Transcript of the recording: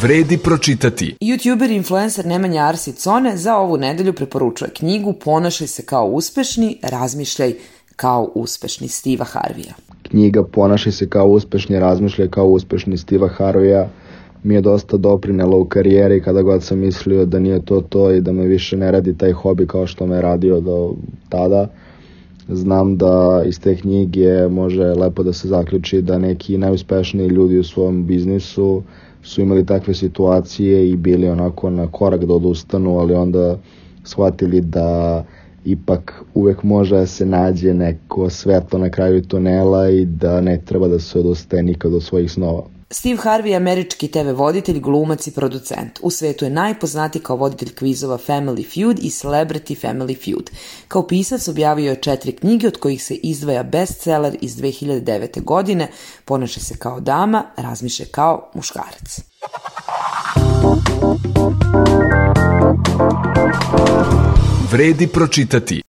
Vredi pročitati. YouTuber i influencer Nemanja Arsić-Cone za ovu nedelju preporučuje knjigu Ponašaj se kao uspešni, razmišljaj kao uspešni Steva Harveya. Knjiga Ponašaj se kao uspešni, razmišljaj kao uspešni Steva Harveya mi je dosta doprinela u karijeri kada god sam mislio da nije to i da me više ne radi taj hobi kao što me radio do tada. Znam da iz te knjige može lepo da se zaključi da neki najuspešniji ljudi u svom biznisu su imali takve situacije i bili onako na korak da odustanu, ali onda shvatili da ipak uvek može da se nađe neko svetlo na kraju tunela i da ne treba da se odustaje nikad od svojih snova. Steve Harvey je američki TV voditelj, glumac i producent. U svetu je najpoznatiji kao voditelj kvizova Family Feud i Celebrity Family Feud. Kao pisac objavio je 4 knjige, od kojih se izdvaja bestseller iz 2009. godine Ponašaj se kao dama, razmišljaj kao muškarac. Vredi pročitati.